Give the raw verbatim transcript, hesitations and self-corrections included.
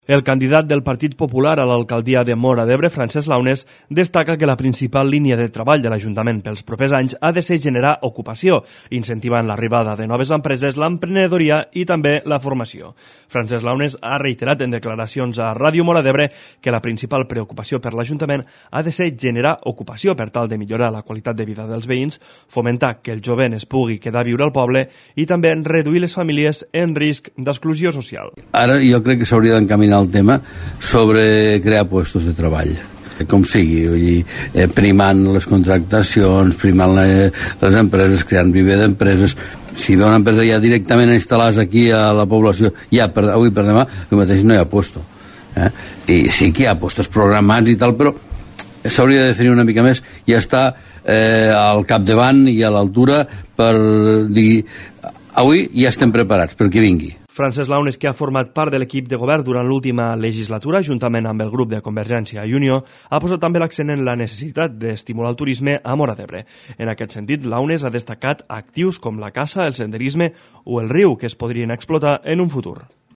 El candidat del Partit Popular a l'alcaldia de Móra d'Ebre, Francesc Launes, destaca que la principal línia de treball de l'Ajuntament pels propers anys ha de ser generar ocupació, incentivant l'arribada de noves empreses, l'emprenedoria i també la formació. Francesc Launes ha reiterat en declaracions a Ràdio Móra d'Ebre que la principal preocupació per l'Ajuntament ha de ser generar ocupació per tal de millorar la qualitat de vida dels veïns, fomentar que el jovent es pugui quedar a viure al poble i també reduir les famílies en risc d'exclusió social. Ara jo crec que s'hauria d'encaminar el tema sobre crear puestos de treball, com sigui, vull dir, eh, primant les contractacions, primant les, les empreses, creant viver d'empreses. Si ve una empresa ja directament instal·lades aquí a la població, ja per, avui per demà, el mateix no hi ha puesto. Eh? I sí que hi ha puestos programats i tal, però s'hauria de definir una mica més i estar eh, al capdavant i a l'altura per dir, avui ja estem preparats per que vingui. Francesc Launes, que ha format part de l'equip de govern durant l'última legislatura, juntament amb el grup de Convergència i Unió, ha posat també l'accent en la necessitat d'estimular el turisme a Móra d'Ebre. En aquest sentit, Launes ha destacat actius com la caça, el senderisme o el riu, que es podrien explotar en un futur.